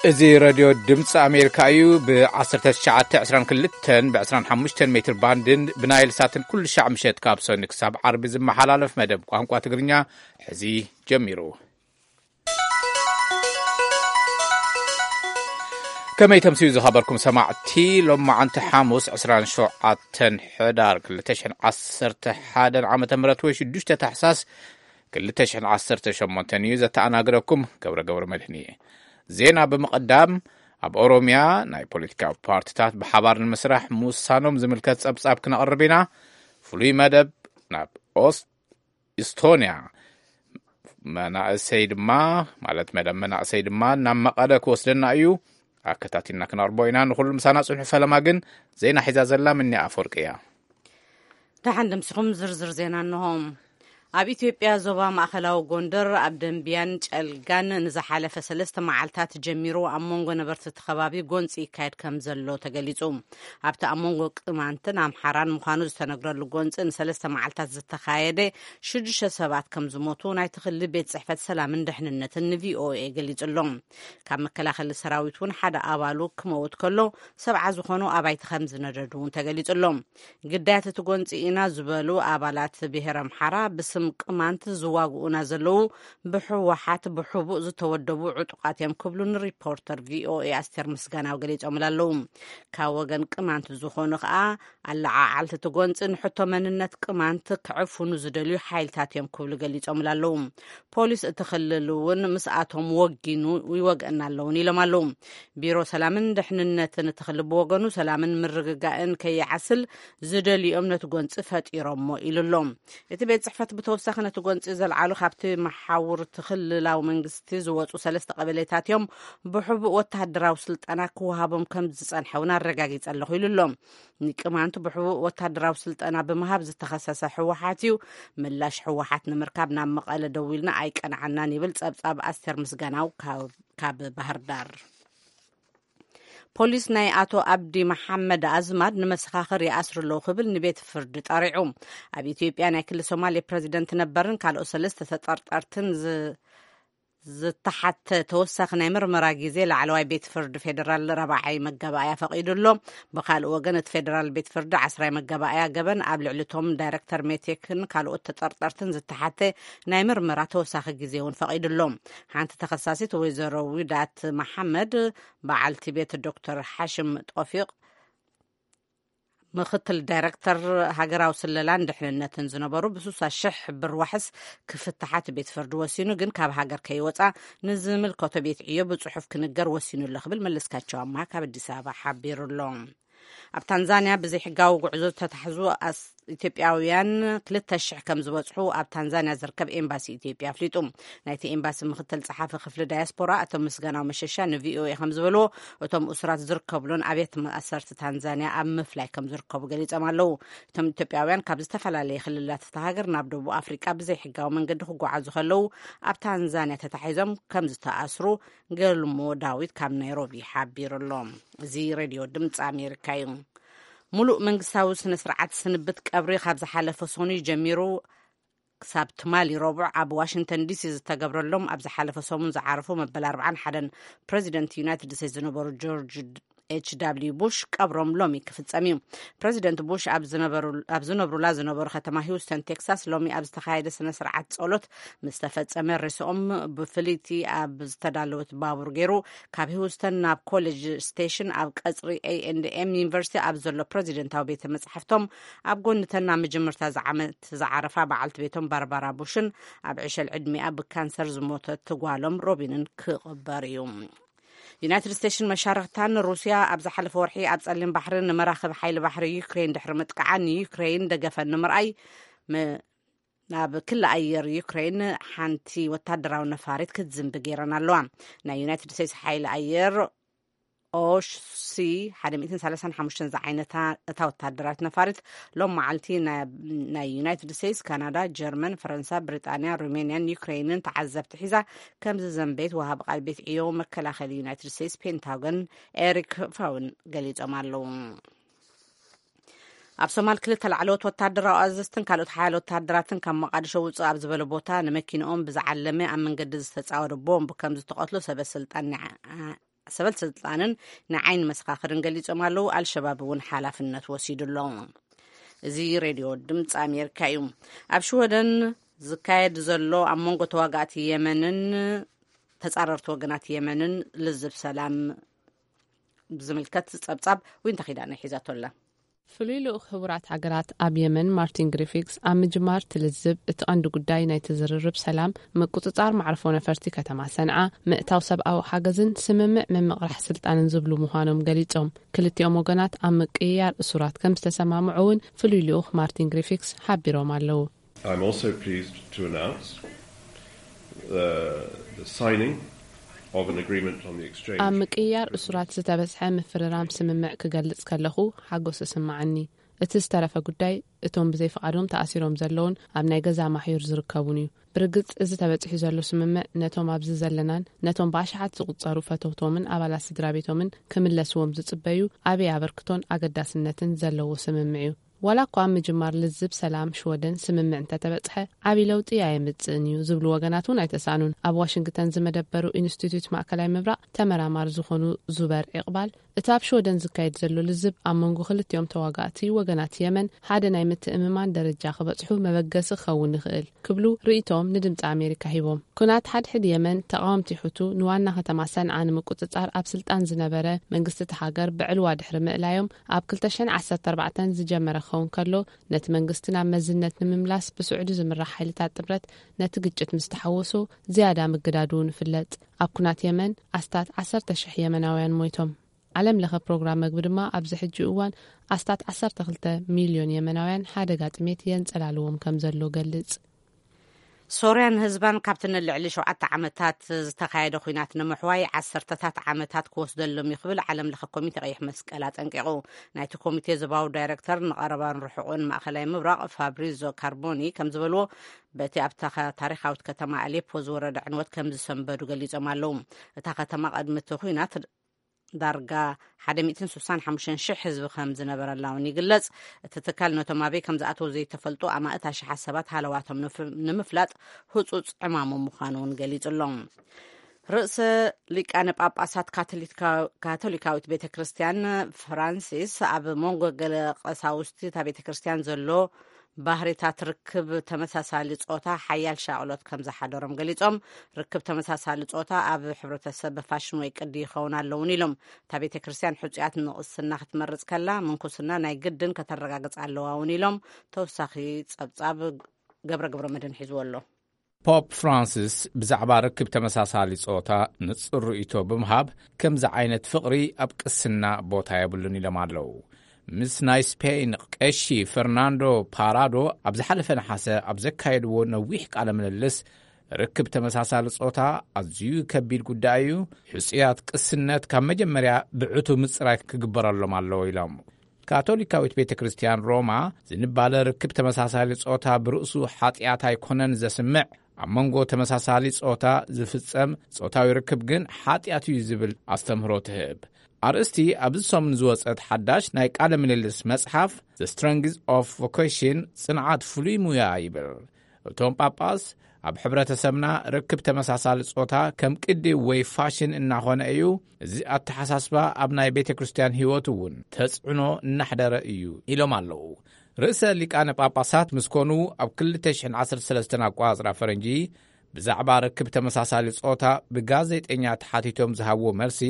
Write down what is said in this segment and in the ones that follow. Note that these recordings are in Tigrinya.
እዚ ሬድዮ ድምፂ ኣሜሪካ እዩ። ብ1922 ብ25 ሜትር ባንድን ብናይል ሳትን ኩሉ ሻዕ ምሸት ካብ ሰኒ ክሳብ ዓርቢ ዝመሓላለፍ መደብ ቋንቋ ትግርኛ ሕዚ ጀሚሩ። ከመይ ተምስዩ ዝኸበርኩም ሰማዕቲ፣ ሎም መዓንቲ ሓሙስ 27 ሕዳር 2011 ዓመተ ምህረት ወይ 6 ታሕሳስ 2018 እዩ። ዘተኣናግረኩም ገብረ ገብረ መድህን እየ። ዜና ብምቕዳም፣ ኣብ ኦሮምያ ናይ ፖለቲካዊ ፓርቲታት ብሓባር ንምስራሕ ምውሳኖም ዝምልከት ጸብጻብ ክነቕርብ ኢና። ፍሉይ መደብ ናብ ኦስ-፣ ኢስቶንያ መናእሰይ ድማ፣ ማለት መደብ መናእሰይ ድማ ናብ መቐለ ክወስደና እዩ። ኣከታቲልና ክነቕርቦ ኢና። ንኹሉ ምሳና ጽንሑ። ፈለማ ግን ዜና ሒዛ ዘላ ምኒ ኣፈወርቂ እያ። ደሓን ደምሲኹም። ዝርዝር ዜና እንሆ። ኣብ ኢትዮጵያ ዞባ ማእኸላዊ ጎንደር ኣብ ደንቢያን ጨልጋን ንዝሓለፈ ሰለስተ መዓልታት ጀሚሩ ኣብ መንጎ ነበርቲ እቲ ከባቢ ጎንፂ ይካየድ ከም ዘሎ ተገሊፁ። ኣብቲ ኣብ መንጎ ቅማንትን ኣምሓራን ምዃኑ ዝተነግረሉ ጎንፂ ንሰለስተ መዓልታት ዝተኻየደ ሽዱሽተ ሰባት ከም ዝሞቱ ናይቲ ክልል ቤት ፅሕፈት ሰላምን ድሕንነትን ንቪኦኤ ገሊፁ ኣሎ። ካብ መከላኸሊ ሰራዊት እውን ሓደ ኣባሉ ክመውት ከሎ፣ ሰብዓ ዝኾኑ ኣባይቲ ከም ዝነደዱ እውን ተገሊፁ ኣሎ። ግዳያት እቲ ጎንፂ ኢና ዝበሉ ኣባላት ብሄር ኣምሓራ ብስም ቅማንት ዝዋግኡና ዘለዉ ብህወሓት ብሕቡእ ዝተወደቡ ዕጡቓት እዮም ክብሉ ንሪፖርተር ቪኦኤ ኣስቴር ምስጋናው ገሊፆምላ ኣለዉ። ካብ ወገን ቅማንት ዝኾኑ ከዓ ኣለዓዓልቲ እቲ ጎንፂ ንሕቶ መንነት ቅማንት ክዕፍኑ ዝደልዩ ሓይልታት እዮም ክብሉ ገሊፆምላ ኣለዉ። ፖሊስ እቲ ክልል እውን ምስኣቶም ወጊኑ ይወግአና ኣለውን ኢሎም ኣለዉ። ቢሮ ሰላምን ድሕንነትን እቲ ክልል ብወገኑ ሰላምን ምርግጋእን ከይዓስል ዝደልዮም ነቲ ጎንፂ ፈጢሮሞ ኢሉ ኣሎ። እቲ ቤት ጽሕፈት ብተወሳኺ ነቲ ጎንፂ ዘልዓሉ ካብቲ መሓውር እቲ ክልላዊ መንግስቲ ዝወፁ ሰለስተ ቀበሌታት እዮም። ብሕቡእ ወተሃደራዊ ስልጠና ክወሃቦም ከም ዝጸንሐ እውን ኣረጋጊጸ ኣለኹ ኢሉ ኣሎ። ንቅማንት ብሕቡእ ወተሃደራዊ ስልጠና ብምሃብ ዝተኸሰሰ ህወሓት እዩ። ምላሽ ህወሓት ንምርካብ ናብ መቐለ ደዊልና ኣይቀንዓናን ይብል ጸብጻብ ኣስቴር ምስጋናው ካብ፣ ካብ ባህር ዳር። ፖሊስ ናይ ኣቶ ኣብዲ መሓመድ ኣዝማድ ንመሰኻኽር ይኣስሩ ኣለዉ ክብል ንቤት ፍርዲ ጠሪዑ። ኣብ ኢትዮጵያ ናይ ክልል ሶማሌ ፕረዚደንት ነበርን ካልኦት ሰለስተ ተጠርጠርትን ዝ-፣ ዝተሓተ ተወሳኺ ናይ ምርመራ ግዜ ላዕለዋይ ቤት ፍርዲ ፌደራል ራብዓይ መጋባእያ ፈቒዱ ኣሎ። ብኻልእ ወገን እቲ ፌደራል ቤት ፍርዲ ዓስራይ መጋባእያ ገበን ኣብ ልዕሊ እቶም ዳይሬክተር ሜቴክን ካልኦት ተጠርጠርትን ዝተሓተ ናይ ምርመራ ተወሳኺ ግዜ እውን ፈቒዱ ኣሎ። ሓንቲ ተኸሳሲት ወይዘሮ ዊዳት መሓመድ በዓልቲ ቤት ዶክተር ሓሽም ጦፊቕ ምኽትል ዳይረክተር ሃገራዊ ስለላን ድሕንነትን ዝነበሩ ብስሳ ሽሕ ብር ዋሕስ ክፍትሓት ቤት ፍርዲ ወሲኑ፣ ግን ካብ ሃገር ከይወፃ ንዝምልከቶ ቤት ዕዮ ብፅሑፍ ክንገር ወሲኑ ኣሎ ክብል መለስካቸው ኣምሃ ካብ ኣዲስ ኣበባ ሓቢሩ ኣሎ። ኣብ ታንዛንያ ብዘይሕጋዊ ጉዕዞ ዝተታሕዙ ኣስ-፣ ኢትዮጵያውያን ክልተ ሽሕ ከም ዝበፅሑ ኣብ ታንዛንያ ዝርከብ ኤምባሲ ኢትዮጵያ ኣፍሊጡ። ናይቲ ኤምባሲ ምክትል ጸሓፊ ክፍሊ ዳያስፖራ ኣቶ ምስጋናው መሸሻ ንቪኦኤ ከም ዝበልዎ፣ እቶም እሱራት ዝርከብሉን ኣብያተ ማእሰርቲ ታንዛንያ ኣብ ምፍላይ ከም ዝርከቡ ገሊጾም ኣለዉ። እቶም ኢትዮጵያውያን ካብ ዝተፈላለየ ክልላት እታ ሃገር ናብ ደቡብ ኣፍሪቃ ብዘይሕጋዊ መንገዲ ክጓዓዙ ከለዉ ኣብ ታንዛንያ ተታሒዞም ከም ዝተኣስሩ ገልሞ ዳዊት ካብ ናይሮቢ ሓቢሩ ኣሎ። እዚ ሬድዮ ድምፂ ኣሜሪካ እዩ። ሙሉእ መንግስታዊ ስነ ስርዓት ስንብት ቀብሪ ካብ ዝሓለፈ ሰኑይ ጀሚሩ ክሳብ ትማሊ ረቡዕ ኣብ ዋሽንግተን ዲሲ ዝተገብረሎም ኣብ ዝሓለፈ ሰሙን ዝዓረፉ መበል ኣርባዓን ሓደን ፕረዚደንት ዩናይትድ ስቴትስ ዝነበሩ ጆርጅ ኤች ዳብልዩ ቡሽ ቀብሮም ሎሚ ክፍጸም እዩ። ፕረዚደንት ቡሽ ኣብ ዝነበሩ-፣ ኣብ ዝነብሩላ ዝነበሩ ከተማ ሂውስተን ቴክሳስ ሎሚ ኣብ ዝተኻየደ ስነ ስርዓት ጸሎት ምስ ተፈጸመ፣ ሬስኦም ብፍልይቲ ኣብ ዝተዳለወት ባቡር ገይሩ ካብ ሂውስተን ናብ ኮሌጅ ስቴሽን ኣብ ቀጽሪ ኤ ኤንድ ኤም ዩኒቨርሲቲ ኣብ ዘሎ ፕረዚደንታዊ ቤተ መጻሕፍቶም ኣብ ጎኒ ተን ናብ መጀመርታ ዝዓመት ዝዓረፋ በዓልቲ ቤቶም ባርባራ ቡሽን ኣብ ዕሸል ዕድሚኣ ብካንሰር ዝሞተት ጓሎም ሮቢንን ክቕበር እዩ። ዩናይትድ ስቴትስን መሻርኽታን ሩስያ ኣብ ዝሓለፈ ወርሒ ኣብ ጸሊም ባሕሪ ንመራኽብ ሓይሊ ባሕሪ ዩክሬን ድሕሪ ምጥቃዓን ንዩክሬን ደገፈን ንምርኣይ ም-፣ ናብ ክሊ ኣየር ዩክሬን ሓንቲ ወታደራዊ ነፋሪት ክትዝንቢ ገይረን ኣለዋ። ናይ ዩናይትድ ስቴትስ ሓይሊ ኣየር ኦሽ ሲ ሓደ ሚእትን ሰላሳን ሓሙሽተን ዝዓይነታ እታ ወታደራዊት ነፋሪት ሎም መዓልቲ ናይ፣ ናይ ዩናይትድ ስቴትስ፣ ካናዳ፣ ጀርመን፣ ፈረንሳ፣ ብሪጣንያ፣ ሩሜንያን ዩክሬንን ተዓዘብቲ ሒዛ ከም ዝዘንበየት ወሃቢ ቃል ቤት ዕዮ መከላኸሊ ዩናይትድ ስቴትስ ፔንታጎን ኤሪክ ፋውን ገሊጾም ኣለዉ። ኣብ ሶማል ክልተ ላዕለዎት ወታደራዊ ኣዘዝትን ካልኦት ሓያለ ወታደራትን ካብ መቃድሾ ውፅእ ኣብ ዝበለ ቦታ ንመኪንኦም ብዝዓለመ ኣብ መንገዲ ዝተፃወደ ቦምብ ከም ዝተቐትሉ ሰበ ስልጣን ናይ ዓ-፣ ሰበል ስልጣንን ንዓይኒ መሰኻኽርን ገሊጾም ኣለዉ። ኣልሸባብ እውን ሓላፍነት ወሲዱ ኣሎ። እዚ ሬድዮ ድምፂ ኣሜሪካ እዩ። ኣብ ሽወደን ዝካየድ ዘሎ ኣብ መንጎ ተዋጋእቲ የመንን ተጻረርቲ ወገናት የመንን ልዝብ ሰላም ብዝምልከት ጸብጻብ ዊንታ ኪዳነ ሒዛቶ ኣላ። ፍሉይ ልኡኽ ሕቡራት ሃገራት ኣብ የመን ማርቲን ግሪፊክስ ኣብ ምጅማር ትልዝብ እቲ ቀንዲ ጉዳይ ናይ ትዝርርብ ሰላም፣ ምቁጽጻር ማዕርፎ ነፈርቲ ከተማ ሰንዓ፣ ምእታው ሰብኣዊ ሓገዝን ስምምዕ ምምቕራሕ ስልጣንን ዝብሉ ምዃኖም ገሊጾም። ክልቲኦም ወገናት ኣብ ምቅይያር እሱራት ከም ዝተሰማምዑ እውን ፍሉይ ልኡኽ ማርቲን ግሪፊክስ ሓቢሮም ኣለዉ። I'm also pleased to announce uh, the signing of an agreement on the exchange ኣብ ምቅይያር እሱራት ዝተበጽሐ ምፍርራም ስምምዕ ክገልጽ ከለኹ ሓጎስ ይስምዓኒ። እቲ ዝተረፈ ጉዳይ እቶም ብዘይ ፍቓዶም ተኣሲሮም ዘለውን ኣብ ናይ ገዛ ማሕዩር ዝርከቡን እዩ። ብርግጽ እዚ ተበጺሑ ዘሎ ስምምዕ ነቶም ኣብዚ ዘለናን ነቶም ብኣሽሓት ዝቑጸሩ ፈተውቶምን ኣባላት ስድራ ቤቶምን ክምለስዎም ዝጽበዩ ዓብዪ ኣበርክቶን ኣገዳስነትን ዘለዎ ስምምዕ እዩ። ዋላ እኳ ኣብ ምጅማር ልዝብ ሰላም ሽወደን ስምምዕ እንተተበጽሐ ዓብዪ ለውጢ ኣየምጽእን እዩ ዝብሉ ወገናት እውን ኣይተሳእኑን። ኣብ ዋሽንግተን ዝመደበሩ ኢንስቲትዩት ማእከላይ ምብራቕ ተመራማሪ ዝኾኑ ዙበር ዕቕባል እቲ ኣብ ሽወደን ዝካየድ ዘሎ ልዝብ ኣብ መንጎ ክልቲኦም ተዋጋእቲ ወገናት የመን ሓደ ናይ ምትእምማን ደረጃ ክበጽሑ መበገሲ ክኸውን ይኽእል ክብሉ ርእይቶም ንድምፂ ኣሜሪካ ሂቦም። ኩናት ሓድሕድ የመን ተቃወምቲ ሑቱ ንዋና ከተማ ሰንዓ ንምቁጽጻር ኣብ ስልጣን ዝነበረ መንግስቲ እቲ ሃገር ብዕልዋ ድሕሪ ምእላዮም ኣብ ክልተ ሽሕን ዓሰርተ ኣርባዕተን ዝጀመረ ክኸውን ከሎ ነቲ መንግስቲ ናብ መዝነት ንምምላስ ብስዑዲ ዝምራሕ ሓይልታት ጥምረት ነቲ ግጭት ምስ ተሓወሶ ዝያዳ ምግዳዱ ንፍለጥ። ኣብ ኩናት የመን ኣስታት ዓሰርተ ሽሕ የመናውያን ሞይቶም። ዓለም ለኸ ፕሮግራም መግቢ ድማ ኣብዚ ሕጂ እዋን ኣስታት ዓሰርተ ክልተ ሚልዮን የመናውያን ሓደጋ ጥሜት የንጸላልዎም ከም ዘሎ ገልጽ። ሶርያን ህዝባን ካብቲ ንልዕሊ ሸውዓተ ዓመታት ዝተኻየደ ኲናት ንምሕዋይ ዓሰርተታት ዓመታት ክወስደሎም እዩ ክብል ዓለም ለኸ ኮሚቴ ቀይሕ መስቀል ኣጠንቂቑ። ናይቲ ኮሚቴ ዞባዊ ዳይሬክተር ንቐረባን ርሑቕን ማእኸላይ ምብራቕ ፋብሪዞ ካርቦኒ ከም ዝበልዎ፣ በቲ ኣብታ ታሪኻዊት ከተማ ኣሌፖ ዝወረደ ዕንወት ከም ዝሰንበዱ ገሊጾም ኣለዉ። እታ ከተማ ቅድሚ እቲ ኲናት ዳርጋ ሓደ ሚእትን ስሳን ሓሙሽተን ሽሕ ህዝቢ ከም ዝነበረላ እውን ይግለጽ። እቲ ትካል ነቶም ኣበይ ከም ዝኣተዉ ዘይተፈልጡ ኣማእት ኣሽሓት ሰባት ሃለዋቶም ንፍ-፣ ንምፍላጥ ህጹጽ ዕማሙ ምዃኑ እውን ገሊጹ ኣሎ። ርእሰ ሊቃነ ጳጳሳት ካቶሊካ-፣ ካቶሊካዊት ቤተ ክርስቲያን ፍራንሲስ ኣብ መንጎ ገለ ቀሳውስቲ እታ ቤተ ክርስቲያን ዘሎ ባህሪታት ርክብ ተመሳሳሊ ጾታ ሓያል ሻቕሎት ከም ዝሓደሮም ገሊጾም፣ ርክብ ተመሳሳሊ ጾታ ኣብ ሕብረተሰብ ፋሽን ወይ ቅዲ ይኸውን ኣለውን ኢሎም። እታ ቤተ ክርስቲያን ሕጹያት ንቕስና ክትመርጽ ከላ ምንኩስና ናይ ግድን ከተረጋግጽ ኣለዋ እውን ኢሎም። ተወሳኺ ጸብጻብ ገብረ ገብረ መድህን ሒዝዎ ኣሎ። ፖፕ ፍራንሲስ ብዛዕባ ርክብ ተመሳሳሊ ጾታ ንጹር ርእይቶ ብምሃብ ከምዚ ዓይነት ፍቕሪ ኣብ ቅስና ቦታ የብሉን ኢሎም ኣለዉ። ምስ ናይ ስፔን ቀሺ ፈርናንዶ ፓራዶ ኣብ ዝሓለፈ ነሓሰ ኣብ ዘካየድዎ ነዊሕ ቃለ ምልልስ ርክብ ተመሳሳሊ ጾታ ኣዝዩ ከቢድ ጉዳይ እዩ። ሕጹያት ቅስነት ካብ መጀመርያ ብዕቱ ምጽራይ ክግበረሎም ኣለዎ ኢሎም። ካቶሊካዊት ቤተ ክርስቲያን ሮማ ዝንባለ ርክብ ተመሳሳሊ ጾታ ብርእሱ ሓጢኣት ኣይኮነን ዘስምዕ፣ ኣብ መንጎ ተመሳሳሊ ጾታ ዝፍጸም ጾታዊ ርክብ ግን ሓጢኣት እዩ ዝብል ኣስተምህሮ ትህብ። ኣርእስቲ ኣብዚ ሰሙን ዝወጸት ሓዳሽ ናይ ቃለ ምልልስ መጽሓፍ The Strength of Vocation ጽንዓት ፍሉይ ሙያ ይብል። እቶም ጳጳስ ኣብ ሕብረተሰብና ርክብ ተመሳሳሊ ጾታ ከም ቅዲ ወይ ፋሽን እናኾነ እዩ። እዚ ኣተሓሳስባ ኣብ ናይ ቤተ ክርስቲያን ህይወት እውን ተጽዕኖ እናሕደረ እዩ ኢሎም ኣለዉ። ርእሰ ሊቃነ ጳጳሳት ምስ ኮኑ ኣብ ክልተ ሽሕን ዓሰርተ ሰለስተን ኣቋጽራ ፈረንጂ ብዛዕባ ርክብ ተመሳሳሊ ጾታ ብጋዜጠኛ ተሓቲቶም ዝሃብዎ መልሲ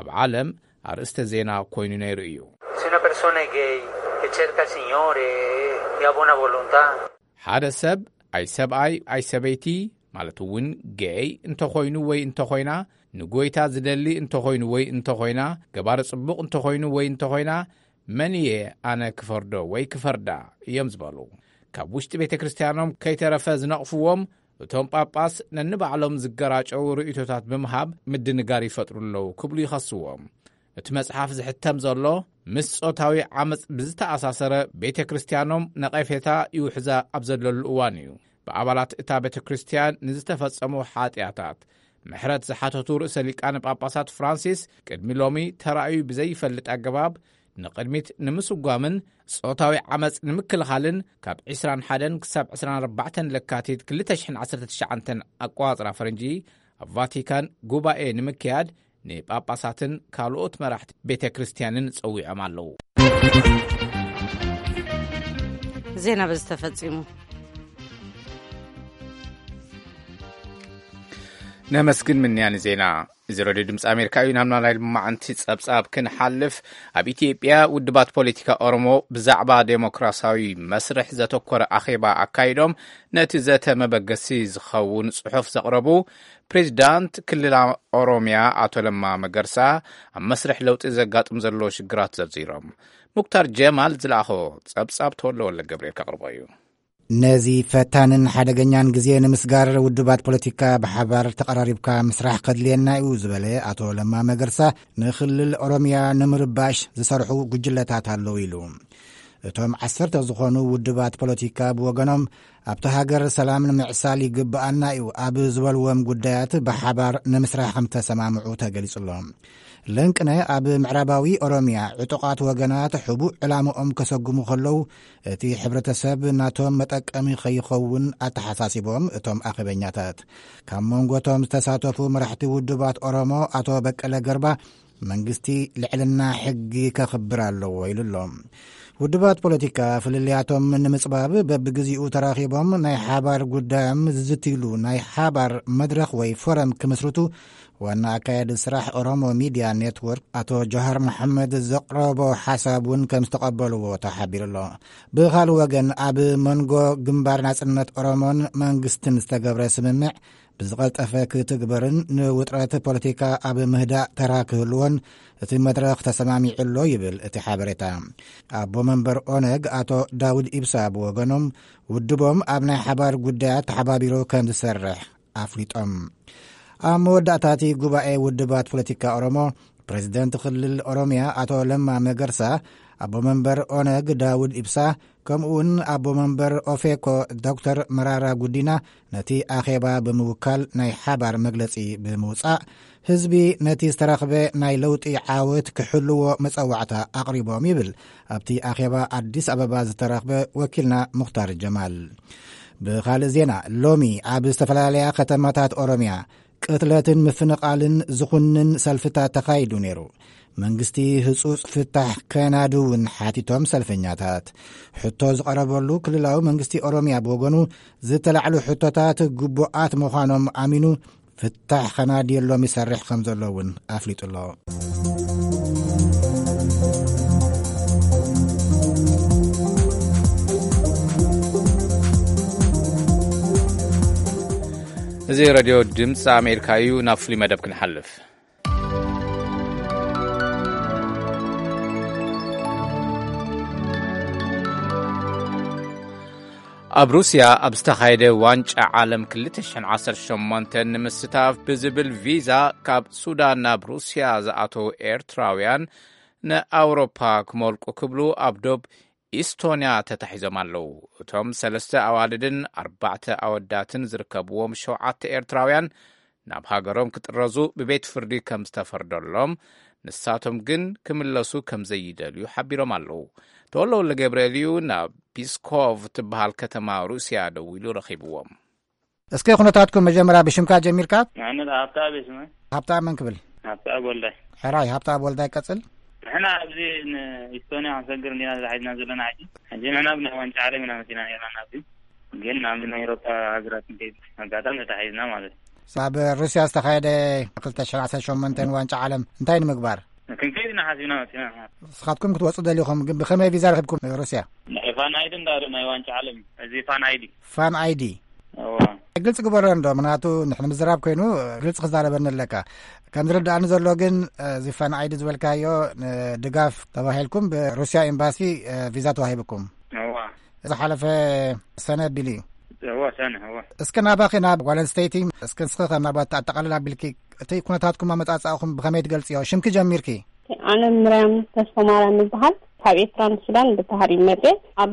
ኣብ ዓለም ኣርእስተ ዜና ኮይኑ ነይሩ እዩ። Se una persona è gay e cerca il Signore e ha buona volontà. ሓደ ሰብ ኣይ ሰብኣይ ኣይ ሰበይቲ ማለት እውን ጌይ እንተኾይኑ ወይ እንተኾይና ንጎይታ ዝደሊ እንተኾይኑ ወይ እንተኾይና ገባሪ ጽቡቕ እንተኾይኑ ወይ እንተኾይና መን እየ ኣነ ክፈርዶ ወይ ክፈርዳ እዮም ዝበሉ። ካብ ውሽጢ ቤተ ክርስቲያኖም ከይተረፈ ዝነቕፍዎም እቶም ጳጳስ ነንባዕሎም ዝገራጨው ርእይቶታት ብምሃብ ምድንጋር ይፈጥሩ ኣለዉ ክብሉ ይኸስዎም። እቲ መጽሓፍ ዝሕተም ዘሎ ምስ ጾታዊ ዓመጽ ብዝተኣሳሰረ ቤተ ክርስቲያኖም ነቐፌታ ይውሕዛ ኣብ ዘለሉ እዋን እዩ። ብኣባላት እታ ቤተ ክርስቲያን ንዝተፈጸሙ ሓጢኣታት ምሕረት ዝሓተቱ ርእሰ ሊቃነ ጳጳሳት ፍራንሲስ ቅድሚ ሎሚ ተራእዩ ብዘይፈልጥ ኣገባብ ንቕድሚት ንምስጓምን ጾታዊ ዓመጽ ንምክልኻልን ካብ ዕስራን ሓደን ክሳብ ዕስራን ኣርባዕተን ለካቲት ክልተ ሽሕን ዓሰርተ ትሽዓተን ኣቋጽራ ፈረንጂ ኣብ ቫቲካን ጉባኤ ንምክያድ ንጳጳሳትን ካልኦት መራሕቲ ቤተ ክርስቲያንን ጸዊዖም ኣለዉ። ዜና በዚ ተፈጺሙ። ነመስግን ምንያን ዜና። እዚ ረድዮ ድምፂ ኣሜሪካ እዩ። ናብ ናላይ መዓንቲ ጸብጻብ ክንሓልፍ፣ ኣብ ኢትዮጵያ ውድባት ፖለቲካ ኦሮሞ ብዛዕባ ዴሞክራሲያዊ መስርሕ ዘተኮረ ኣኼባ ኣካይዶም፣ ነቲ ዘተ መበገሲ ዝኸውን ጽሑፍ ዘቕረቡ ፕሬዚዳንት ክልል ኦሮሚያ ኣቶ ለማ መገርሳ፣ ኣብ መስርሕ ለውጢ ዘጋጥም ዘሎ ሽግራት ዘርዚሮም። ሙክታር ጀማል ዝለኣኾ ጸብጻብ ተወለ ወለ ገብርኤል ከቕርቦ እዩ። ነዚ ፈታንን ሓደገኛን ግዜ ንምስጋር ውድባት ፖለቲካ ብሓባር ተቐራሪብካ ምስራሕ ከድልየና እዩ ዝበለ ኣቶ ለማ መገርሳ፣ ንክልል ኦሮሚያ ንምርባሽ ዝሰርሑ ጉጅለታት ኣለዉ ኢሉ። እቶም ዓሰርተ ዝኾኑ ውድባት ፖለቲካ ብወገኖም፣ ኣብቲ ሃገር ሰላም ንምዕሳል ይግብኣና እዩ ኣብ ዝበልዎም ጉዳያት ብሓባር ንምስራሕ ከም ዝተሰማምዑ ተገሊጹ ኣሎ። ለንቅነ ኣብ ምዕራባዊ ኦሮሚያ ዕጡቓት ወገናት ሕቡእ ዕላምኦም ከሰጉሙ ከለዉ፣ እቲ ሕብረተሰብ ናቶም መጠቀሚ ከይኸውን ኣተሓሳሲቦም እቶም ኣኼበኛታት። ካብ መንጎቶም ዝተሳተፉ መራሕቲ ውድባት ኦሮሞ ኣቶ በቀለ ገርባ፣ መንግስቲ ልዕልና ሕጊ ከኽብር ኣለዎ ኢሉ ኣሎ። ውድባት ፖለቲካ ፍልልያቶም ንምጽባብ በብግዜኡ ተራኺቦም ናይ ሓባር ጉዳዮም ዝዝትይሉ ናይ ሓባር መድረኽ ወይ ፎረም ክምስርቱ ዋና ኣካያዲ ስራሕ ኦሮሞ ሚድያ ኔትወርክ ኣቶ ጆሃር መሓመድ ዘቕረቦ ሓሳብ እውን ከም ዝተቐበልዎ ተሓቢሩ ኣሎ። ብኻልእ ወገን፣ ኣብ መንጎ ግንባር ናጽነት ኦሮሞን መንግስትን ዝተገብረ ስምምዕ ብዝቐልጠፈ ክትግበርን ንውጥረት ፖለቲካ ኣብ ምህዳእ ተራ ክህልዎን እቲ መድረኽ ተሰማሚዑ ኣሎ ይብል እቲ ሓበሬታ። ኣቦ መንበር ኦነግ ኣቶ ዳውድ ኢብሳ ብወገኖም፣ ውድቦም ኣብ ናይ ሓባር ጉዳያት ተሓባቢሩ ከም ዝሰርሕ ኣፍሊጦም። ኣብ መወዳእታ እቲ ጉባኤ ውድባት ፖለቲካ ኦሮሞ፣ ፕሬዚደንት ክልል ኦሮሚያ ኣቶ ለማ መገርሳ፣ ኣቦ መንበር ኦነግ ዳውድ ኢብሳ፣ ከምኡ እውን ኣቦ መንበር ኦፌኮ ዶክተር መራራ ጉዲና ነቲ ኣኼባ ብምውካል ናይ ሓባር መግለጺ ብምውጻእ፣ ህዝቢ ነቲ ዝተረኽበ ናይ ለውጢ ዓወት ክሕልዎ መጸዋዕታ ኣቕሪቦም ይብል ኣብቲ ኣኼባ ኣዲስ ኣበባ ዝተረኽበ ወኪልና ሙኽታር ጀማል። ብኻልእ ዜና፣ ሎሚ ኣብ ዝተፈላለያ ከተማታት ኦሮሚያ ቅትለትን ምፍንቓልን ዝኹንን ሰልፍታት ተኻይዱ ነይሩ። መንግስቲ ህጹጽ ፍታሕ ከናዱ እውን ሓቲቶም ሰልፈኛታት። ሕቶ ዝቐረበሉ ክልላዊ መንግስቲ ኦሮሚያ ብወገኑ፣ ዝተላዕሉ ሕቶታት ግቡኣት ምዃኖም ኣሚኑ፣ ፍታሕ ከናድየሎም ይሰርሕ ከም ዘሎ እውን ኣፍሊጡ ኣሎ። እዚ ረድዮ ድምፂ ኣሜሪካ እዩ። ናብ ፍሉይ መደብ ክንሓልፍ። ኣብ ሩስያ ኣብ ዝተኻየደ ዋንጫ ዓለም ክልተ ሽሕን ዓሰርተ ሸሞንተን ንምስታፍ ብዝብል ቪዛ ካብ ሱዳን ናብ ሩስያ ዝኣተዉ ኤርትራውያን ንኣውሮፓ ክመልቁ ክብሉ ኣብ ዶብ ኢስቶንያ ተታሒዞም ኣለዉ። እቶም ሰለስተ ኣዋልድን ኣርባዕተ ኣወዳትን ዝርከብዎም ሸውዓተ ኤርትራውያን ናብ ሃገሮም ክጥረዙ ብቤት ፍርዲ ከም ዝተፈርደሎም፣ ንሳቶም ግን ክምለሱ ከም ዘይደልዩ ሓቢሮም ኣለዉ። ተወልደ ወልደገብርኤል እዩ ናብ ፒስኮቭ ትበሃል ከተማ ሩስያ ደዊሉ ረኺብዎም። እስከ ኩነታትኩም መጀመርያ ብሽምካ ጀሚርካ? ንሕና ሃብተኣብ እየ ስመይ። ሃብተኣብ መን ክብል? ሃብተኣብ ወልዳይ። ሕራይ፣ ሃብተኣብ ወልዳይ ቀጽል። ንሕና ኣብዚ ንኢስቶንያ ክንሰግር እንዲና ተታሒዝና ዘለና ሕጂ። ሕጂ ንሕና ብናይ ዋንጫ ዓለም ኢና መጺና ነርና ናብዚ። ግን ናብ ናይ ኤውሮጳ ሃገራት ንከይድ ኣጋጣሚ ተታሒዝና ማለት እዩ። ኣብ ሩስያ ዝተኻየደ ክልተ ሽሕን ዓሰርተ ሸሞንተን ዋንጫ ዓለም እንታይ ንምግባር? ክንከይድ ኢና ሓሲብና መጺና። ንስኻትኩም ክትወጹ ደሊኹም፣ ግን ብኸመይ ቪዛ ረኺብኩም ሩስያ? ናይ ፋን ኣይዲ እንዳበሉ ናይ ዋንጫ ዓለም እዩ። እዚ ፋን ኣይዲ። ፋን ኣይዲ። እዋ። ግልጽ ግበሮ እንዶ፣ ምክንያቱ ንሕና ምዝራብ ኮይኑ ግልጽ ክዛረበኒ ኣለካ። ከም ዝርድኣኒ ዘሎ ግን፣ እዚ ፋን ኣይዲ ዝበልካዮ ንድጋፍ ተባሂልኩም ብሩስያ ኤምባሲ ቪዛ ተዋሂብኩም። እዋ። ዝሓለፈ ሰነ ቢሉ እዩ። እዋ፣ ሰነ፣ እዋ። እስከ ናባኺ ናብ ጓል ኣንስተይቲ፣ እስከ ንስኺ ከም ናባት ኣጠቓልል ኣቢልኪ እቲ ኩነታትኩም ኣመጻጽኣኹም ብኸመይ ትገልጽዮ? ሽምኪ ጀሚርኪ። ኣነ ምርያም ተስፋ ማርያም ይበሃል። ካብ ኤርትራ ንሱዳን ብባህር ይመጽእ። ኣብ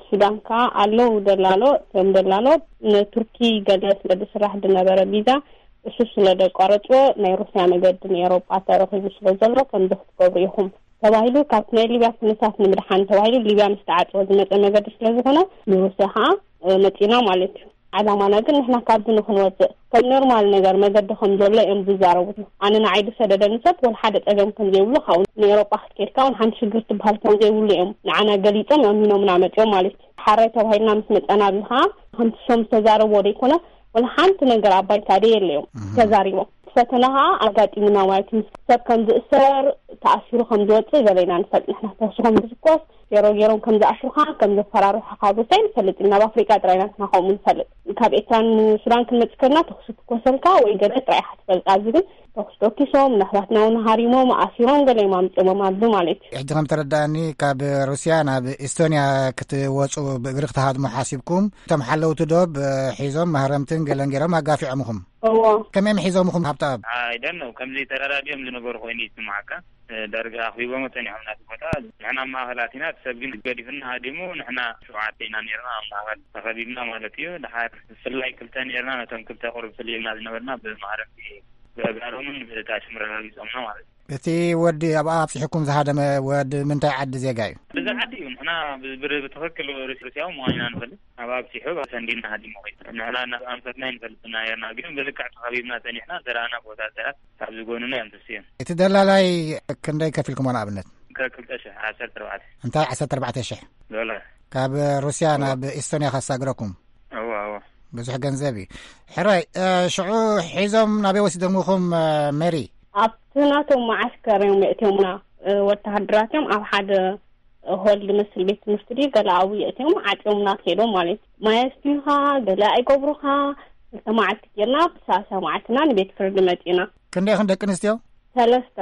ሱዳን ከኣ ኣለዉ ደላሎ፣ እዮም ደላሎ ንቱርኪ ገለ ስለ ዝስራሕ ዝነበረ ቪዛ እሱ ስለ ዘቋረጽዎ ናይ ሩስያ መገዲ ንኤውሮጳ ተረኺቡ ስለ ዘሎ ከምዚ ክትገብሩ ኢኹም ተባሂሉ፣ ካብቲ ናይ ሊብያ ኩነታት ንምድሓን ተባሂሉ ሊብያ ምስ ተዓጽወ ዝመጸ መገዲ ስለ ዝኾነ ንሩስያ ከኣ፣ እ፣ መጺና ማለት እዩ። ዓላማና ግን ንሕና ካብዚ ንክንወፅእ ከም ኖርማል ነገር መገዲ ከም ዘሎ እዮም ዝዛረቡ። ኣነ ንዓይ ዝሰደደኒ ሰብ ወላ ሓደ ፀገም ከም ዘይብሉ፣ ካብኡ ንኤሮጳ ክትከድካ እውን ሓንቲ ሽግር ትበሃል ከም ዘይብሉ እዮም ንዓና ገሊፆም ኣሚኖምና መፅኦም ማለት እዩ። ሓራይ ተባሂልና ምስ መፀና ኣብዚ ከዓ ከምቲ ሶም ዝተዛረብዎ ዘይኮነ ወላ ሓንቲ ነገር ኣብ ባይታ ደየለ እዮም ተዛሪቦም። ፈተና ከዓ ኣጋጢሙና ማለት እዩ። ሰብ ከም ዝእሰር፣ ተኣሲሩ ከም ዝወፅእ ገለ ኢና ንፈልጥ። ንሕና ተኩሲ ከም ዝትኮስ፣ ቴሮ ገይሮም ከም ዝኣስሩኻ፣ ከም ዘፈራርሑኻ ሩስያ ንፈልጥ ኢና። ኣብ ኣፍሪቃ ጥራይ ኢና ንሕና ከምኡ ንፈልጥ። ካብ ኤርትራን ሱዳን ክንመጽእ ከለና ተኩሲ ትኮሰልካ ወይ ገለ ጥራይ ኢኻ ትፈልጥ። ኣብዚ ግን ተኩሲ ተኪሶም፣ ንኣሕዋትና እውን ሃሪሞም፣ ኣሲሮም፣ ገለ እዮም ኣምጺኦሞም ኣብዚ ማለት እዩ። ሕጂ ከም ተረዳእኒ ካብ ሩስያ ናብ ኤስቶንያ ክትወጹ ብእግሪ ክትሃድሙ ሓሲብኩም፣ እቶም ሓለውቲ ዶብ ሒዞም ማህረምትን ገለን ገይሮም ኣጋፊዖምኹም። እዎ። ከመይ እዮም ሒዞምኹም ሃብተኣብ? I don't know፣ ከምዚ ተረዳዲኦም ዝነበሩ ኮይኑ ይስምዓካ። እ፣ ዳርጋ ኣኽቢቦሞ ጸኒሖም ናቲ ቦታ። ንሕና ኣብ ማእኸል ኣቲና፣ እቲ ሰብ ግን ገዲፉና ሃዲሙ፣ ንሕና ሸውዓተ ኢና ነይርና ኣብ ማእኸል ተኸቢብና ማለት እዩ። ድሓር ብፍላይ ክልተ ነይርና፣ ነቶም ክልተ ቁሩብ ፍልይ ኢልና ዝነበርና ብማህረምቲ ብኣእጋሮምን ብታሽም ረጋጊጾምና ማለት እዩ። እቲ ወዲ ኣብኣ ኣብጺሑኩም ዝሃደመ ወዲ ምንታይ ዓዲ ዜጋ እዩ? ብዚ ዓዲ እዩ። ንሕና ብ-፣ ብ-፣ ብትኽክል ሩስ-፣ ሩስያዊ ምዃን ኢና ንፈልጥ። ኣብ ኣብጺሑ ሰንዲና ሃዲሙ ኸይዱ። ንሕና ናብ ኣንፈትና ኣይንፈልጥና ነይርና፣ ግን ብልክዕ ተኸቢብና ጸኒሕና፣ ዝረኣና ቦታ ሰባት ኣብዚ ጎንና እዮም ተስዮም። እቲ ደላላይ ክንደይ ከፊልኩሞ ንኣብነት? ከ-፣ ክልተ ሽሕ፣ ዓሰርተ ኣርባዕተ። እንታይ ዓሰርተ ኣርባዕተ ሽሕ? ዶላር። ካብ ሩስያ እዋ። ናብ ኤስቶንያ ከሳግረኩም? እዋ፣ እዋ። ብዙሕ ገንዘብ እዩ። ሕራይ፣ እ፣ ሽዑ ሒዞም ናበይ ወሲዶምኹም፣ እ፣ ሜሪ? ኣብቲ ናቶም መዓስከር እዮም የእትዮምና። እ፣ ወተሃደራት እዮም ኣብ ሓደ ሆል ዝመስል ቤት ትምህርቲ ድዩ ገለ ኣብኡ የእትዮም ዓጽዮምና ከይዶም ማለት እዩ። ማይ ኣስትዩኻ፣ ገለ ኣይገብሩኻ። ክልተ መዓልቲ ጌርና፣ ብሳልሳይ መዓልትና ንቤት ፍርዲ መጺና። ክንደይ ኢኽን ደቂ ኣንስትዮ? ሰለስተ።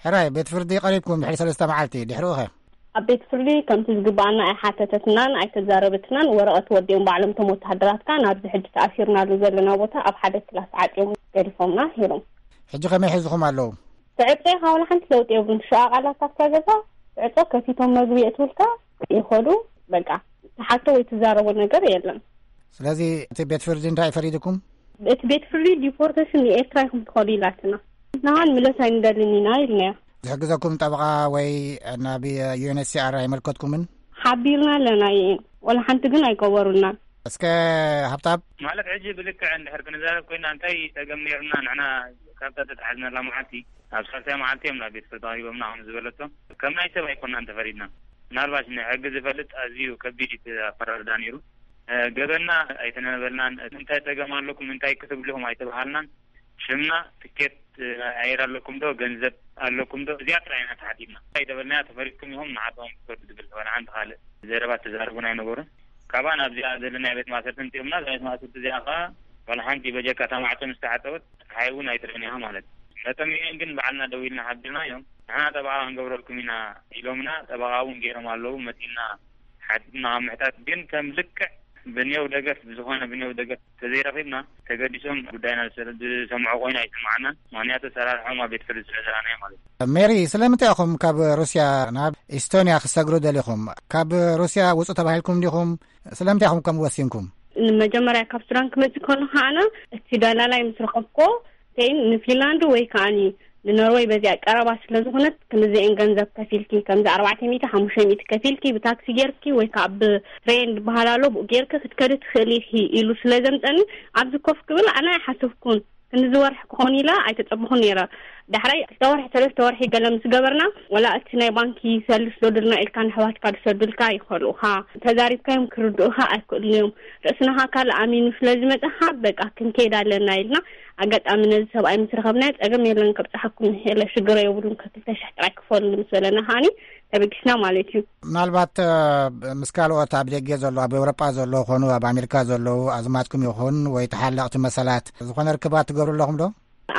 ሕራይ፣ ቤት ፍርዲ ቀሪብኩም ድሕሪ ሰለስተ መዓልቲ፣ ድሕሪኡ ኸ? ኣብ ቤት ፍርዲ ከምቲ ዝግብኣና ኣይሓተተትናን ኣይተዛረበትናን። ወረቐት ወዲኦም ባዕሎም እቶም ወተሃደራትካ ናብዚ ሕጂ ተኣሲርናሉ ዘለና ቦታ ኣብ ሓደ ክላስ ዓጽዮም ገዲፎምና ሄሮም። ሕጂ ከመይ ሒዝኹም ኣለዉ? ትዕጾ ኢኻ፣ ዋላ ሓንቲ ለውጢ የብሉን። ሸቓላት ኣብታ ገዛ ትዕጾ፣ ከፊቶም መግቢ የእትውልካ፣ ይኸዱ። በቃ፣ ትሓቶ ወይ ትዛረቦ ነገር የለን። ስለዚ እቲ ቤት ፍርዲ እንታይ ፈሪድኩም? እቲ ቤት ፍርዲ ዲፖርቴሽን ንኤርትራ ኢኹም ትኸዱ ኢላትና። ንሃን ምለስ ኣይንደልን ኢና ኢልናዮ። ዝሕግዘኩም ጠበቓ ወይ ናብ ዩ ኤን ኤች ሲ ኣር ኣይመልከትኩምን? ሓቢርና ኣለና፣ ይእን ወላ ሓንቲ ግን ኣይገበሩልናን። እስከ ሃብታብ። ማለት ሕጂ ብልክዕ እንድሕር ክንዛረብ ኮይና፣ እንታይ ጸገም ነይሩና? ንሕና ካብታ ተታሓዝናላ መዓልቲ፣ ኣብ ሳልሳይ መዓልቲ እዮም ናብ ቤት ፍርዲ ኣቕሪቦምና፣ ከም ዝበለቶ፣ ከም ናይ ሰብ ኣይኮናን ተፈሪድና። ምናልባሽ ንሕጊ ዝፈልጥ ኣዝዩ ከቢድ እዩ እቲ ኣፈራርዳ ነይሩ። እ፣ ገበንና ኣይተነበልናን። እንታይ ጸገም ኣለኩም፣ እንታይ ክትብሉ ኢኹም ኣይተባሃልናን። ሽምና፣ ትኬት፣ እ፣ ኣየር ኣለኩም ዶ፣ ገንዘብ ኣለኩም ዶ፣ እዚኣ ጥራይ ኢና ተሓቲትና። ኣይተበልናያ፣ ተፈሪድኩም ኢኹም ንዓኹም ትፈርዱ ዝብል ዋላ ሓንቲ ካልእ ዘረባ ተዛረቡና ኣይነበሩን። ካባና ኣብዚኣ ዘለና ቤት ማእሰርቲ እንቲኦምና፣ እዛ ቤት ማእሰርቲ እዚኣ ኸኣ ዋላ ሓንቲ በጀካ እታ ማዕጾ ምስ ተዓጸወት፣ ሓይ እውን ኣይትርእን ኢኻ ማለት እዩ። መጠን ሚእን ግን ባዕልና ደዊልና ሓቢርናዮም። ንሕና ጠበቓ ክንገብረልኩም ኢና ኢሎምና፣ ጠበቓ እውን ገይሮም ኣለዉ። መጺእና ሓቲትና ካብ ምሕታት ግን ከም ልክዕ ብኔው ደገፍ፣ ብዝኾነ ብኔው ደገፍ ተዘይረኺብና፣ ተገዲሶም ጉዳይና ዝሰ-፣ ዝሰምዑ ኮይኑ ኣይስምዓናን። ምኽንያቱ ኣሰራርሖም ኣብ ቤት ፍርዲ ስለ ዝረኣናዮ ማለት እዩ። ሜሪ፣ ስለምንታይ ኢኹም ካብ ሩስያ ናብ ኢስቶንያ ክሰግሩ ደሊኹም? ካብ ሩስያ ውጹ ተባሂልኩም ዲኹም? ስለምንታይ ኢኹም ከምኡ ወሲንኩም? መጀመርያ ካብ ሱዳን ክመጽእ ከለኹ ኣነ እቲ ደላላይ ምስ ረኸብኩዎ፣ ቴን ንፊንላንድ ወይ ከኣኒ ንኖርወይ በዚኣ ቀረባ ስለ ዝኾነት፣ ክንዲዚኤን ገንዘብ ከፊልኪ፣ ከምዚ ኣርባዕተ ሚእቲ፣ ሓሙሽተ ሚእቲ ከፊልኪ፣ ብታክሲ ጌርኪ ወይ ከኣ ብትሬን ዝበሃል ኣሎ፣ ብኡ ጌርኪ ክትከዲ ትኽእሊ ኢኺ ኢሉ ስለ ዘምጸኒ፣ ኣብዚ ኮፍ ክብል ኣነ ኣይሓሰብኩን። ክንዲዚ ወርሒ ክኾን ኢለ ኣይተጸበኹን ነይረ። ዳሕራይ ክልተ ወርሒ፣ ሰለስተ ወርሒ ገለ ምስ ገበርና፣ ወላ እቲ ናይ ባንኪ ሰልስ ዶ ድልና ኢልካ ንኣሕዋትካ ዝሰዱልካ ይኸልኡኻ። ተዛሪብካዮም ክርድኡኻ ኣይክእሉን እዮም። ርእስና ካልእ ኣሚኑ ስለ ዝመጸኻ፣ በቃ ክንከይድ ኣለና ኢልና፣ ኣጋጣሚ ነዚ ሰብኣይ ምስ ረኸብናዮ፣ ጸገም የለን፣ ከብጽሓኩም ይኽእል እየ፣ ሽግር የብሉን፣ ከክልተ ሽሕ ጥራይ ክፈሉ ምስ በለና ከኣኒ ተበጊስና ማለት እዩ። ምናልባት፣ እ፣ ምስ ካልኦት ኣብ ደገ ዘለዉ፣ ኣብ ኤውሮጳ ዘለዉ ኾኑ፣ ኣብ ኣሜሪካ ዘለዉ ኣዝማድኩም ይኹን ወይ ተሓለቕቲ መሰላት ዝኾነ ርክባት ትገብሩ ኣለኹም ዶ?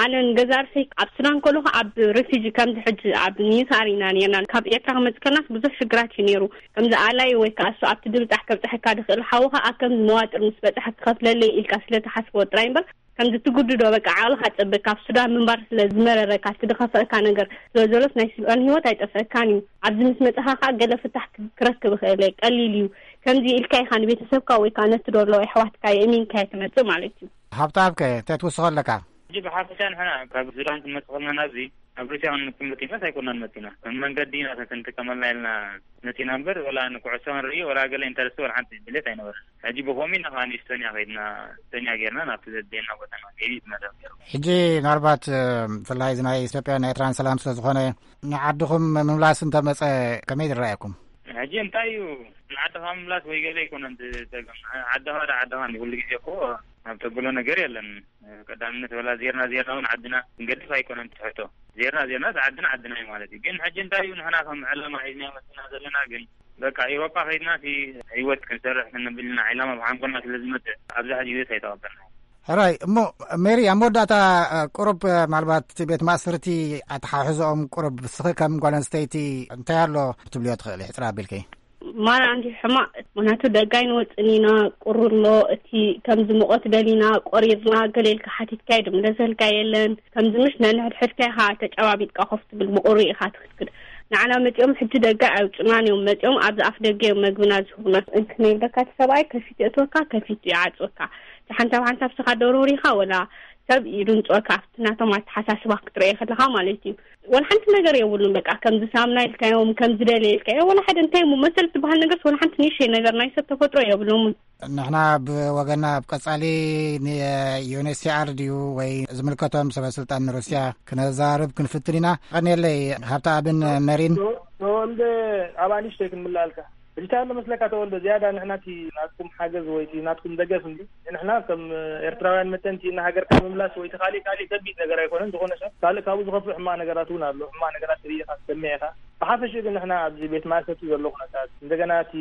ኣነ ንገዛ ርእሰይ ኣብ ሱዳን ከለኹ ኣብ ሪፊጂ ከምዚ ሕጂ ኣብ ኒሳር ኢና ነርና። ካብ ኤርትራ ክመጽእ ከለናስ ብዙሕ ሽግራት እዩ ነይሩ። ከምዚ ኣላይ ወይ ከኣ እሱ ኣብቲ ድብጻሕ ከብጽሐካ ድኽእል ሓውኻ ኣብ ከምዚ መዋጥር ምስ በጽሐ ክኸፍለለይ ኢልካ ስለ ትሓስቦ ጥራይ እምበር፣ ከምዚ ትጉድዶ በቃ ዓቕልኻ ጸበ ካብ ሱዳን ምንባር ስለ ዝመረረካ፣ እቲ ዝኸፈእካ ነገር ስለ ዘሎስ ናይ ሱዳን ህይወት ኣይጠፍአካን እዩ። ኣብዚ ምስ መጻኻ ከኣ ገለ ፍታሕ ክ-፣ ክረክብ እኽእል እየ፣ ቀሊል እዩ። ከምዚ ኢልካ ኢኻ ንቤተሰብካ ወይ ከኣ ነቲ ዶ ኣለዉ ኣሕዋትካ የእሚንካ እየ ትመጽእ ማለት እዩ። ሃብተኣብከ እንታይ ትውስኾ ኣለካ? ሕጂ ብሓፈሻ ንሕና ካብ ሱዳን ክንመጽእ ከለና ናብዚ ኣብ ሩስያ ክንመጽእ መጺናስ ኣይኮናን መጺና። ከም መንገዲ ኢና ክንጥቀመላ ኢልና መጺና እምበር፣ ወላ ንኩዕሶ ክንርኢ፣ ወላ ገለ ኢንተረስት፣ ወላ ሓንቲ ድሌት ኣይነበረን። ሕጂ ብኸምኡ ኢና ከኣ ንኢስቶንያ ከይድና፣ ኢስቶንያ ጌርና ናብቲ ዘድልየና ቦታ ንኸይድ እዩ ዝመደብ ነይሩ። ሕጂ ምናልባት፣ እ፣ ብፍላይ እዚ ናይ ኢትዮጵያን ኤርትራን ሰላም ስለ ዝኾነ፣ ንዓድኹም ምምላስ እንተመጸ ከመይ ዝረኣየኩም? ሕጂ እንታይ እዩ፣ ንዓድኻ ምምላስ ወይ ገለ ኣይኮነን እቲ ጸገም። ዓድኻ ዳ ዓድኻ እንዲ ኩሉ ግዜ እኮ ኣብ ተብሎ ነገር የለን። ቀዳምነት ወላ ዜርና ዜርና እውን ዓድና ክንገድፍ ኣይኮነን እቲ ሕቶ። ዜርና ዜርና እቲ ዓድና ዓድና እዩ ማለት እዩ። ግን ሕጂ እንታይ እዩ፣ ንሕና ከም ዕላማ ሒዝና መጽና ዘለና ግን በቃ ኤውሮጳ ከይድና እቲ ህይወት ክንሰርሕ ክንብል ኢና። ዕላማ ብሓንጎልና ስለ ዝመጽእ ኣብዚ ሕጂ ግዜ ኣይተቐበልና። ሕራይ እሞ ሜሪ፣ ኣብ መወዳእታ፣ እ፣ ቁሩብ፣ እ፣ ምናልባት እቲ ቤት ማእሰርቲ ኣተሓሕዝኦም ቁሩብ፣ ንስኺ ከም ጓል ኣንስተይቲ እንታይ ኣሎ ክትብልዮ ትኽእሊ? ሕጽር ኣቢልኪ። ማራ እንዲ ሕማቕ፣ ምኽንያቱ ደጋይ ንወጽን ኢና፣ ቁሪ ኣሎ፣ እቲ ከምዚ ሙቐት ደሊና ቆሪርና ገለ ኢልካ ሓቲትካ እዩ፣ ድም ደሰልካ የለን። ከምዚ ምሽ ነንሕድሕድካ ኢኻ ተጨባቢጥካ ኮፍ ትብል፣ ብቁሪ ኢኻ ትኽድክድ። ንዓና መጺኦም ሕጂ ደጋይ ኣይውጽናን እዮም፣ መጺኦም ኣብዚ ኣፍ ደገ እዮም መግብና ዝህቡና። እንክ ነይብለካ እቲ ሰብኣይ ከፊት የእትወካ፣ ከፊት ይዓጽወካ። ሓንሳብ ሓንሳብ ስኻ ደሮሪኻ ወላ ሰብ ይድንጽወካ፣ ኣብቲ ናቶም ኣተሓሳስባ ክትርእዮ ከለኻ ማለት እዩ። ወላ ሓንቲ ነገር የብሉን። በቃ ከምዚ ሳምና ኢልካዮም፣ ከምዚ ደለ ኢልካዮ፣ ወላ ሓደ እንታይ እሞ መሰል ትበሃል ነገርስ ወላ ሓንቲ ንእሽተይ ነገር ናይ ሰብ ተፈጥሮ የብሎምን። ንሕና ብወገና ኣብ ቀጻሊ ንዩኤንኤችሲኣር ድዩ ወይ ዝምልከቶም ሰበ ስልጣን ንሩስያ ክነዛርብ ክንፍትን ኢና። ቀንየለይ ሃብተኣብን ሜሪን። ተወልደ፣ ኣብ ኣንሽተይ ክንምልኣልካ። ሕጂ እንታይ ኣሎ መስለካ ተወልደ፣ ዝያዳ ንሕና እቲ ናትኩም ሓገዝ ወይ እቲ ናትኩም ደገፍ እንዲ፣ ንሕና ከም ኤርትራውያን መጠን እቲ ንሃገርካ ምምላስ ወይ እቲ ካሊእ ካሊእ ከቢድ ነገር ኣይኮነን። ዝኾነ ሰብ ካልእ ካብኡ ዝኸፍእ ሕማቕ ነገራት እውን ኣሎ። ሕማቕ ነገራት ርኢኻ ትሰምዕ ኢኻ። ብሓፈሽኡ ግን ንሕና ኣብዚ ቤት ማእሰርቲ ዘሎ ኩነታት፣ እንደገና እቲ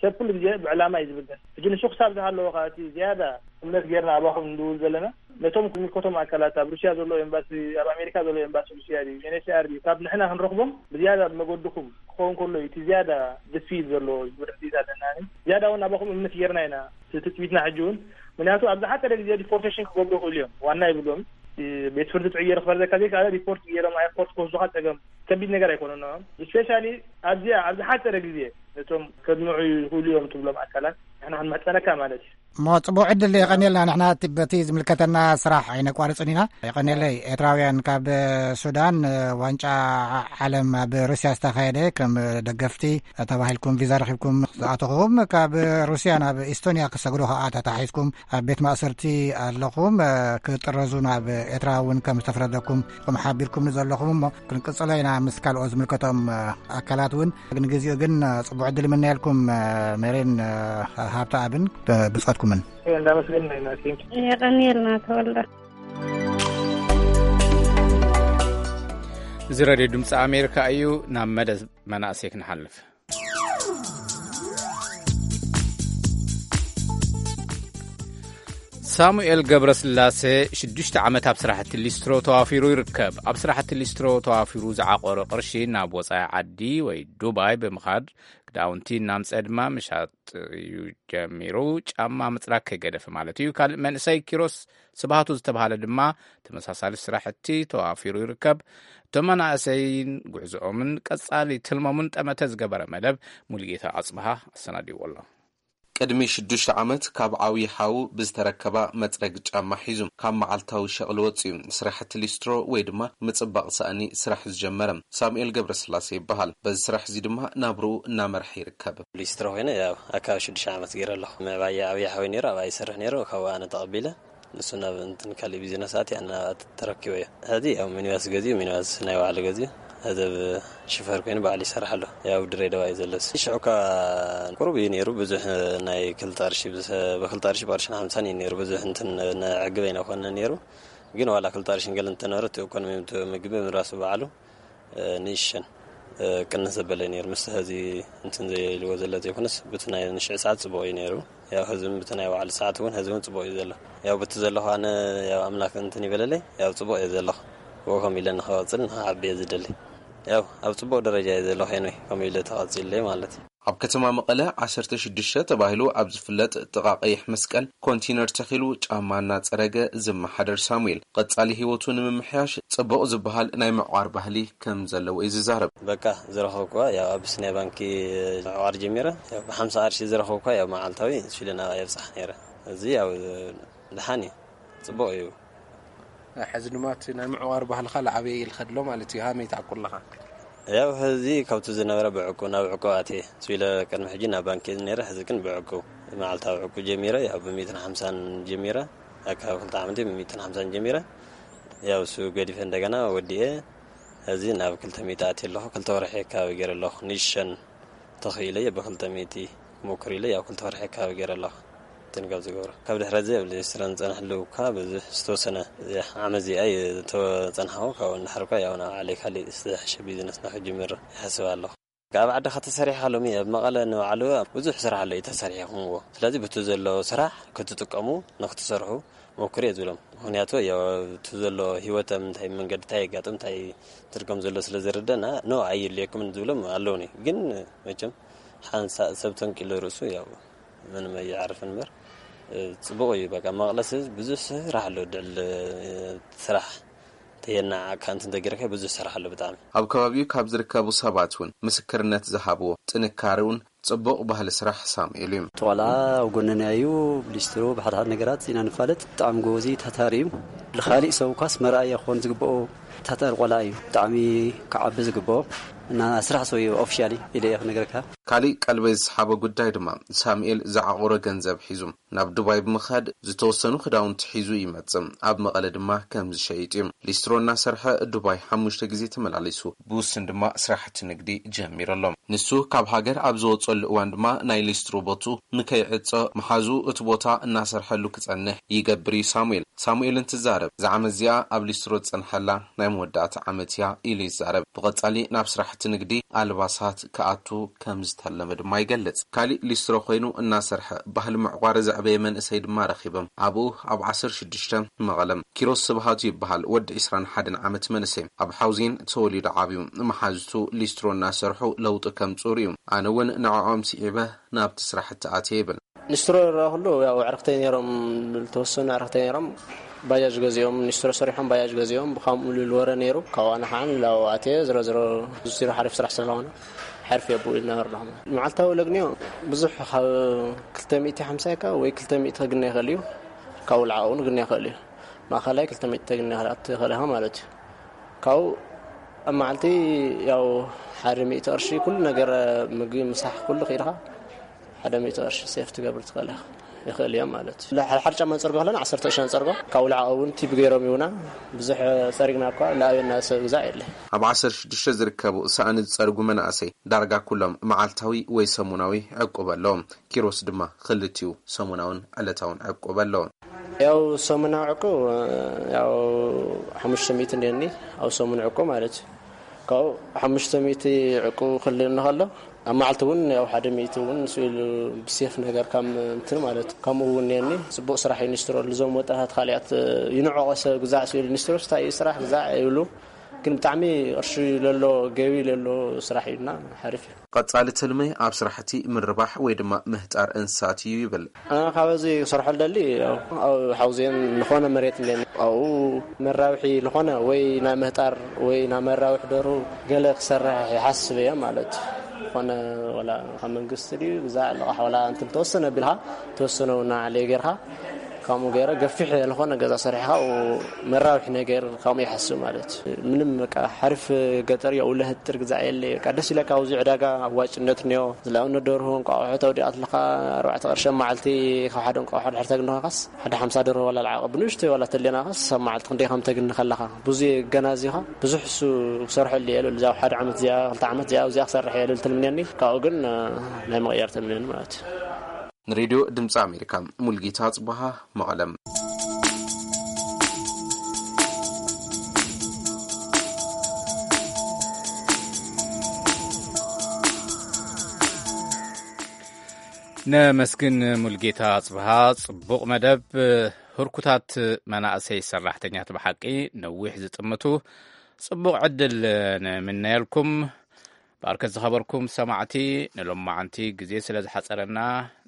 ሰብ ኩሉ ግዜ ብዕላማ እዩ ዝብገስ። ሕጂ ንሱ ክሳብ ዝሃለወ ከዓ እቲ ዝያዳ እምነት ጌርና ኣባኹም ንድውል ዘለና ነቶም ዝምልከቶም ኣካላት፣ ኣብ ሩስያ ዘሎ ኤምባሲ፣ ኣብ ኣሜሪካ ዘሎ ኤምባሲ ሩስያ ድዩ፣ ዩኤንኤችሲኣር ድዩ፣ ካብ ንሕና ክንረኽቦም ብዝያዳ ብመገድኹም ክኸውን ከሎ እዩ እቲ ዝያዳ ድፊት ዘሎ ዝብል ርድኢት ኣለና። ዝያዳ እውን ኣባኹም እምነት ጌርና ኢና። እቲ ትጽቢትና ሕጂ እውን፣ ምክንያቱ ኣብ ዝሓጸረ ግዜ ዲፖርቴሽን ክገብሩ ይኽእሉ እዮም። ዋና ይብሎም፣ ቤት ፍርዲ ጥዕዮ ክፈርደካ ዘይከኣለ ሪፖርት ገይሮም፣ ኤርፖርት ክወስዱኻ ጸገም ከቢድ ነገር ኣይኮነን። ንኦም ስፔሻሊ ኣብዚኣ ኣብ ዝሓጸረ ግዜ ነቶም ከድምዑ ይኽእሉ እዮም ትብሎም ኣካላት ንሕና ክንምሕጸነካ ማለት እዩ። እሞ ጽቡቕ ዕድል የቐንየልና። ንሕና እቲ በቲ ዝምልከተና ስራሕ ኣይነቋርጽን ኢና። የቐንየለይ። ኤርትራውያን ካብ ሱዳን፣ ዋንጫ ዓለም ኣብ ሩስያ ዝተኻየደ ከም ደገፍቲ ተባሂልኩም ቪዛ ረኺብኩም ዝኣተኹም፣ ካብ ሩስያ ናብ ኢስቶንያ ክሰግሩ ከኣ ተታሒዝኩም ኣብ ቤት ማእሰርቲ ኣለኹም። ክጥረዙ ናብ ኤርትራ እውን ከም ዝተፈረደኩም ኢኹም ሓቢርኩም ዘለኹም። እሞ ክንቅጽሎ ኢና ምስ ካልኦት ዝምልከቶም ኣካላት እውን። ግን ግዜኡ ግን ጽቡቕ ዕድል ይምነየልኩም፣ ሜሬን፣ ሃብተኣብን፣ ብጾትኩምን። እንዳመስገን ኢና። ቴንክ ዩ። የቐንየልና ተወልደ። እዚ ሬድዮ ድምፂ ኣሜሪካ እዩ። ናብ መደብ መናእሰይ ክንሓልፍ። ሳሙኤል ገብረስላሴ ሽዱሽተ ዓመት ኣብ ስራሕቲ ሊስትሮ ተዋፊሩ ይርከብ። ኣብ ስራሕቲ ሊስትሮ ተዋፊሩ ዝዓቆሮ ቅርሺ ናብ ወፃኢ ዓዲ ወይ ዱባይ ብምኻድ ክዳውንቲ እናምፀ ድማ ምሻጥ እዩ ጀሚሩ። ጫማ ምፅራግ ከይገደፈ ማለት እዩ። ካልእ መንእሰይ ኪሮስ ስብሃቱ ዝተባሃለ ድማ ተመሳሳሊ ስራሕቲ ተዋፊሩ ይርከብ። እቶም መናእሰይን ጉዕዞኦምን ቀፃሊ ትልሞምን ጠመተ ዝገበረ መደብ ሙሉጌታ ኣፅብሃ ኣሰናዲዎ ኣሎ። ቅድሚ ሽዱሽተ ዓመት ካብ ዓብዪ ሓዉ ብዝተረከባ መጽረጊ ጫማ ሒዙ ካብ መዓልታዊ ሸቕሊ ወጺኡ ስራሕቲ ሊስትሮ ወይ ድማ ምጽባቕ ሳእኒ ስራሕ ዝጀመረ ሳሙኤል ገብረስላሴ ይበሃል። በዚ ስራሕ እዚ ድማ ናብርኡ እናመርሐ ይርከብ። ሊስትሮ ኮይነ ያው ኣካባቢ ሽዱሽተ ዓመት ገይረ ኣለኹ። ምዕባይ ዓብዪ ሓወይ ነይሩ፣ ኣብኣ ይሰርሕ ነይሩ፣ ካብኡ ኣነ ተቐቢለ ንሱ ናብ እንትን ካሊእ ቢዝነስ ኣትየ፣ ኣነ ናብኣ ተረኪበዮ። ሕዚ ያው ሚኒባስ ገዚኡ፣ ሚኒባስ ናይ ባዕሉ ገዚኡ፣ ሕዚ ኣብ ሽፈር ኮይኑ ባዕሉ ይሰርሕ ኣሎ። ያው ድሬዳዋ እዩ ዘሎ። ሽዑ እኳ ቁሩብ እዩ ነይሩ፣ ብዙሕ ናይ ክልተ ቅርሺ፣ ብስ-፣ ብክልተ ቅርሺ፣ ብቅርሽን ሓምሳን እዩ ነይሩ። ብዙሕ እንትን ንዕግብ ኣይነኮነ ነይሩ። ግን ዋላ ክልተ ቅርሽን ገለ እንተነበረ፣ እቲ ኢኮኖሚ፣ እቲ ምግቢ ምራሱ ባዕሉ፣ እ፣ ንእሽተን፣ እ፣ ቅንስ ዘበለ ነይሩ። ምስ ሕዚ እንትን ዘይልዎ ዘሎ ዘይኮነስ፣ ብቲ ናይ ንሽዕ ሰዓት ጽቡቕ እዩ ነይሩ። ያው ህዝብን ብቲ ናይ ባዕሉ ሰዓት እውን ህዝብን ጽቡቕ እዩ ዘሎ። ያው ብቲ ዘለኹ ኣነ ያው ኣምላኽ እንትን ይበለለይ፣ ያው ጽቡቕ እየ ዘለኹ። ብኡ ከም ኢለ ንኸቐጽል ንኸዓቢ እየ ዝደሊ። ያው ኣብ ጽቡቕ ደረጃ እየ ዘለኹ፣ ኤንወይ፣ ከምኡ ኢለ ተቐጺለይ ማለት እዩ። ኣብ ከተማ መቐለ ዓሰርተ ሽዱሽተ ተባሂሉ ኣብ ዝፍለጥ ጥቓ ቀይሕ መስቀል ኮንቴነር ተኺሉ ጫማ እናጸረገ ዝመሓደር ሳሙኤል፣ ቀጻሊ ህይወቱ ንምምሕያሽ ጽቡቕ ዝበሃል ናይ ምዕቋር ባህሊ ከም ዘለዎ እዩ ዝዛረብ። በቃ ዝረኸብኩዋ ያው ኣብ ኣቢሲንያ ባንኪ ምዕቋር ጀሚረ፣ ያው ብሓምሳ ቅርሺ ዝረኸብኩዋ ያው መዓልታዊ ንሱ ኢለ ናብኣ የብጽሓ ነይረ። እዚ ያው ደሓን እዩ፣ ጽቡቕ እዩ። ሕዚ ድማ እቲ ናይ ምዕቋር ባህልኻ ላዓበየ ኢልካ ድሎ ማለት እዩ። ሃመይ ትዓቁር ኣለኻ? ያው ሕዚ ካብቲ ዝነበረ ብዕቁብ ናብ ዕቁብ ኣትየ። ስቢለ ቅድሚ ሕጂ ናብ ባንክ እየ ነይረ፣ ሕዚ ግን ብዕቁብ፣ መዓልታዊ ዕቁብ ጀሚረ። ያው ብሚእትን ሓምሳን ጀሚረ፣ ኣካብ ክልተ ዓመት ብሚእትን ሓምሳን ጀሚረ። ያው እሱ ገዲፈ እንደገና ወዲኤ፣ ሕዚ ናብ ክልተ ሚእቲ ኣትየ ኣለኹ። ክልተ ወርሒ ኣካባቢ ገይረ ኣለኹ። ንሸን ተኽኢለ እየ ብክልተ ሚእቲ ክሞክር ኢለ፣ ያው ክልተ ወርሒ ኣካባቢ ገይረ ኣለኹ። ትንገብ ዝገብሮ ካብ ድሕረዚ ኣብ ሊስትሮ ንጸንሐሉ እኳ ብዙሕ ዝተወሰነ ዓመት እዚኣ እየ ዝተጸንሓኹ። ካብኡ ንድሕር እኳ ያው ናብ ዓለይ ካሊእ ዝተሓሸ ቢዝነስ ንክጅምር ይሓስብ ኣለኹ። ካብ ዓድኻ ተሰሪሕካ ሎሚ ኣብ መቐለ ንባዕሉ ብዙሕ ስራሕ ኣሎ እዩ ተሰሪሕኩምዎ። ስለዚ ብቲ ዘሎ ስራሕ ክትጥቀሙ ንክትሰርሑ ሞክሩ እየ ዝብሎም። ምክንያቱ ያው እቲ ዘሎ ህይወት ኣብ ምንታይ መንገዲ እንታይ የጋጥም እንታይ ትርጉም ዘሎ ስለ ዝርደና፣ ኖ ኣየድልየኩምን ዝብሎም ኣለውኒ። ግን መቸም ሓንሳእ ሰብ ተንቂሉ ርእሱ ያው ምንም ኣይዓርፍን እምበር፣ እ፣ ጽቡቕ እዩ። በቃ መቐለስ ብዙሕ ስራሕ ኣሎ፣ ድዕል፣ እ፣ ስራሕ ተየናዓካ እንትን ተገይርካ ብዙሕ ስራሕ ኣሎ ብጣዕሚ። ኣብ ከባቢኡ ካብ ዝርከቡ ሰባት እውን ምስክርነት ዝሃብዎ ጥንካሬ እውን ጽቡቕ ባህሊ ስራሕ ሳሙኤል እዩ። እቲ ቆልዓ ኣብ ጎንና እዩ፣ ብሊስትሮ ብሓድሓድ ነገራት ኢና ንፋለጥ። ብጣዕሚ ጎበዝ እዩ፣ ታታሪ እዩ። ንኻሊእ ሰብ እኳስ መርኣያ ክኾን ዝግብኦ ታታሪ ቆልዓ እዩ። ብጣዕሚ ክዓቢ ዝግብኦ እና ስራሕ ሰው እዩ ኦፊሻሊ ኢለ እየ ክነግረካ። ካሊእ ቀልበይ ዝሰሓቦ ጉዳይ ድማ ሳሙኤል ዝዓቑሮ ገንዘብ ሒዙ ናብ ዱባይ ብምኻድ ዝተወሰኑ ክዳውንቲ ሒዙ ይመጽእ። ኣብ መቐለ ድማ ከም ዝሸይጥ እዩ። ሊስትሮ እናሰርሐ ዱባይ ሓሙሽተ ግዜ ተመላሊሱ። ብውሱን ድማ ስራሕቲ ንግዲ ጀሚሩ ኣሎ። ንሱ ካብ ሃገር ኣብ ዝወጸሉ እዋን ድማ ናይ ሊስትሮ ቦቱ ንከይዕጾ መሓዙ እቲ ቦታ እናሰርሐሉ ክጸንሕ ይገብር እዩ ሳሙኤል። ሳሙኤል እንትዛረብ፣ እዛ ዓመት እዚኣ ኣብ ሊስትሮ ዝጸንሐላ ናይ መወዳእታ ዓመት እያ ኢሉ ይዛረብ። ብቐጻሊ ናብ ስራሕቲ ንግዲ ኣልባሳት ክኣቱ ከም ዝተለመ ድማ ይገልጽ። ካሊእ ሊስትሮ ኮይኑ እናሰርሐ ባህሊ ምዕቋር ዘዕበየ መንእሰይ ድማ ረኺቦም። ኣብኡ ኣብ ዓሰርተ ሽዱሽተ መቐለም ኪሮስ ስብሃቱ ይበሃል። ወዲ ዕስራን ሓደን ዓመት መንእሰይ ኣብ ሓውዜን ተወሊዱ ዓብዩ። መሓዝቱ ሊስትሮ እናሰርሑ ለውጢ ከምጽኡ ርእዩ። ኣነ እውን ንዕኦም ስዒበ ናብቲ ስራሕቲ ኣትየ ይብል። ኒስትሮ ዝረኣኹሉ ያው ኣዕርኽተይ ነይሮም፣ ዝተወሰኑ ኣዕርኽተይ ነይሮም። ባጃጅ ገዚኦም፣ ኒስትሮ ሰሪሖም ባጃጅ ገዚኦም፣ ብካምኡ ልል ወረ ነይሩ። ካብኡ ኣነ ከዓ ንላው ኣትየ፣ ዝሮ ዝሮ ኒስትሮ ሓሪፍ ስራሕ ስለዝኾነ፣ ሓሪፍ እየ ብኡ ዝነበረ ኣለኹ። መዓልታዊ ለግንዮ ብዙሕ ካብ ክልተ ሚእቲ ሓምሳ ወይ ክልተ ሚእቲ ክግነ ይኽእል እዩ። ካብኡ ልዓኡ እውን ክግነ ይኽእል እዩ። ማእኸላይ ክልተ ሚእቲ ተግኒ ክኣቱ ይኽእል ኢኻ ማለት እዩ። ካብኡ ኣብ መዓልቲ ያው ሓደ ሚእቲ ቅርሺ ኩሉ ነገር፣ ምግቢ፣ ምሳሕ ኩሉ ከይድኻ ሓደ ሚእቲ ቅርሺ ሴፍ ትገብር ትኽእል ኢኻ። ይኽእል እዮም ማለት እዩ። ሓደ ሓደ ጫማ ንጸርጎ ከለና ዓሰርተ ቅርሺ ንጸርጎ። ካብኡ ልዓኡ እውን ቲፕ ገይሮም ይሁና። ብዙሕ ጸሪግና እኳ ልኣበየና ሰብ ግዛዕ የለ። ኣብ ዓሰርተ ሽዱሽተ ዝርከቡ ሳእኒ ዝጸርጉ መናእሰይ ዳርጋ ኩሎም መዓልታዊ ወይ ሰሙናዊ ዕቁብ ኣለዎም። ኪሮስ ድማ ክልቲኡ ሰሙናውን ዕለታውን ዕቁብ ኣለዎ። ያው ሰሙናዊ ዕቁብ፣ ያው ሓሙሽተ ሚእቲ እንዲኒ፣ ኣብ ሰሙን ዕቁብ ማለት እዩ። ካብኡ ሓሙሽተ ሚእቲ ዕቁብ ክልእኒ ከሎ፣ ኣብ መዓልቲ እውን ያው ሓደ ሚእቲ እውን ስኢሉ ብሴፍ ነገር ከም እንትን ማለት እዩ። ከምኡ እውን እኒአኒ፣ ጽቡቕ ስራሕ እዩ ኒስትሮ። ልዞም ወጣታት ካልኣት ይንዕቆ ሰብ ግዛዕ ስኢሉ ኒስትሮስ እንታይ እዩ ስራሕ ግዛዕ ይብሉ። ግን ብጣዕሚ ቅርሺ ለሎ፣ ገቢ ለሎ ስራሕ እዩና፣ ሓሪፍ እዩ። ቀጻሊ ትልመይ ኣብ ስራሕቲ ምርባሕ ወይ ድማ ምህጣር እንስሳት እዩ ይብል። ኣነ ካብዚ ክሰርሖ ልደሊ፣ ያው ኣብ ሓውዜን ዝኾነ መሬት እንደ ኣብኡ መራብሒ ዝኾነ ወይ ናይ ምህጣር ወይ ናይ መራብሒ ደሩ ገለ ክሰርሕ ይሓስብ እየ ማለት እዩ። ዝኾነ ወላ ካብ መንግስቲ ድዩ ግዛዕ ልቓሕ ወላ እንትን ተወሰነ ቢልካ ተወሰነ እውን ንዓለይ ጌርካ ከምኡ ገይረ ገፊሕ ዝኾነ ገዛ ሰሪሕኻ ኣብኡ መራብሒ ነገር ከምኡ ይሓስብ ማለት እዩ። ምንም በቃ ሓሪፍ ገጠር እዩ፣ ኣብኡ ለህጥር ግዛዕ የለ። በቃ ደስ ኢለካ ኣብዚ ዕዳጋ ኣዋጭነት እኒኦ። ዝለኣውነት ደርሆ እንቋቑሖ ተውዲኣ ኣለኻ ኣርባዕተ ቅርሺ ኣብ መዓልቲ ካብ ሓደ እንቋቑሖ ድሕር ተግንኻስ ሓደ ሓምሳ ደርሆ ዋላ ልዓቐ ብንእሽተይ ዋላ ተሌናኻስ ኣብ መዓልቲ ክንደይ ከም ተግኒ ከለኻ ብዙ ገና እዚኻ ብዙሕ እሱ ክሰርሐሉ እየ ልብል። እዛ ሓደ ዓመት እዚኣ ክልተ ዓመት እዚኣ ኣብዚኣ ክሰርሕ እየ ልብል ትልምንየኒ። ካብኡ ግን ናይ መቐየር ትልምንየኒ ማለት እዩ። ንሬድዮ ድምፂ ኣሜሪካ፣ ሙልጌታ ጽቡሃ፣ መቐለም። ነመስግን ሙልጌታ ጽብሃ፣ ጽቡቕ መደብ። ህርኩታት መናእሰይ ሰራሕተኛት ብሓቂ ነዊሕ ዝጥምቱ፣ ጽቡቕ ዕድል ንምነየልኩም። በርከት ዝኸበርኩም ሰማዕቲ፣ ንሎማዓንቲ ግዜ ስለ ዝሓጸረና፣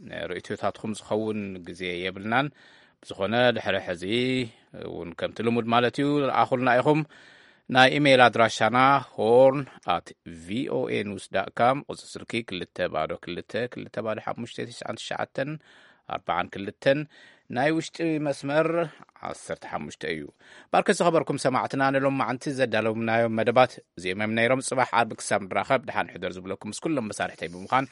ንርእይቶታትኩም ዝኸውን ግዜ የብልናን። ብዝኾነ፣ ድሕሪ ሕዚ እውን ከምቲ ልሙድ ማለት እዩ፣ ረኣኹልና ኢኹም። ናይ ኢሜይል ኣድራሻና ሆርን ኣት ቪኦኤ ኒውስ ዳት ካም፣ ቁጽሪ ስልኪ ክልተ ባዶ ክልተ ክልተ ባዶ ሓሙሽተ ትሽዓን ትሽዓተን፣ ኣርባዓን ክልተን ናይ ውሽጢ መስመር ዓሰርተ ሓሙሽተ እዩ። ባርከ ዝኸበርኩም ሰማዕትና፣ ንሎማዓንቲ ዘዳለውናዮም መደባት እዚኦም እዮም ነይሮም። ጽባሕ ዓርቢ ክሳብ ንራኸብ፣ ደሓን ሕደር ዝብለኩም ምስ ኩሎም መሳርሕተይ ብምዃን